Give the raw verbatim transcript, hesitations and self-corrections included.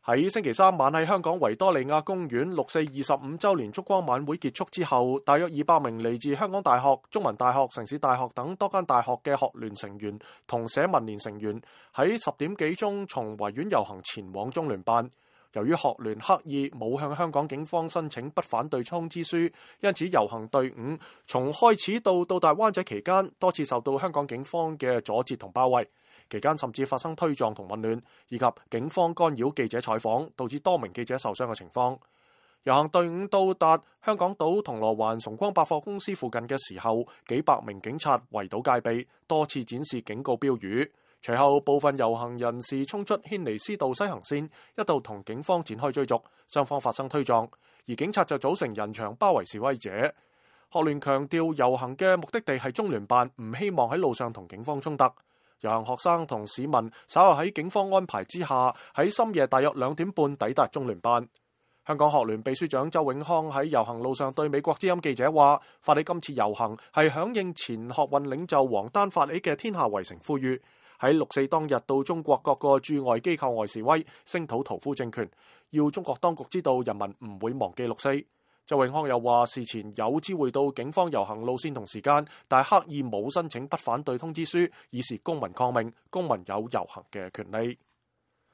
喺星期三晚喺香港維多利亞公園六四二十五週年燭光晚會結束之後，大約二百名嚟自香港大學、中文大學、城市大學等多間大學嘅學聯成員同社民連成員喺十點幾鐘從維園遊行前往中聯辦。由於學聯刻意冇向香港警方申請不反對通知書，因此遊行隊伍從開始到到達灣仔期間多次受到香港警方嘅阻截同包圍。期間甚至發生推撞同混亂，以及警方干擾記者採訪，導致多名記者受傷嘅情況。遊行隊伍到達香港島銅鑼灣崇光百貨公司附近嘅時候，幾百名警察圍堵戒備，多次展示警告標語。隨後部分遊行人士衝出軒尼詩道西行線，一度同警方展開追逐，雙方發生推撞，而警察就組成人牆包圍示威者。學聯強調遊行嘅目的地係中聯辦，唔希望喺路上同警方衝突。遊行學生同市民稍後喺警方安排之下，喺深夜大約兩點半抵達中聯辦。香港學聯秘書長周永康喺遊行路上對美國之音記者話：發起今次遊行係響應前學運領袖王丹發起嘅天下圍城呼籲，喺六四當日到中國各個駐外機構外示威，聲討屠夫政權，要中國當局知道人民唔會忘記六四。周永康又話：事前有知會到警方遊行路線同時間，但係刻意冇申請不反對通知書，以示公民抗命，公民有遊行嘅權利。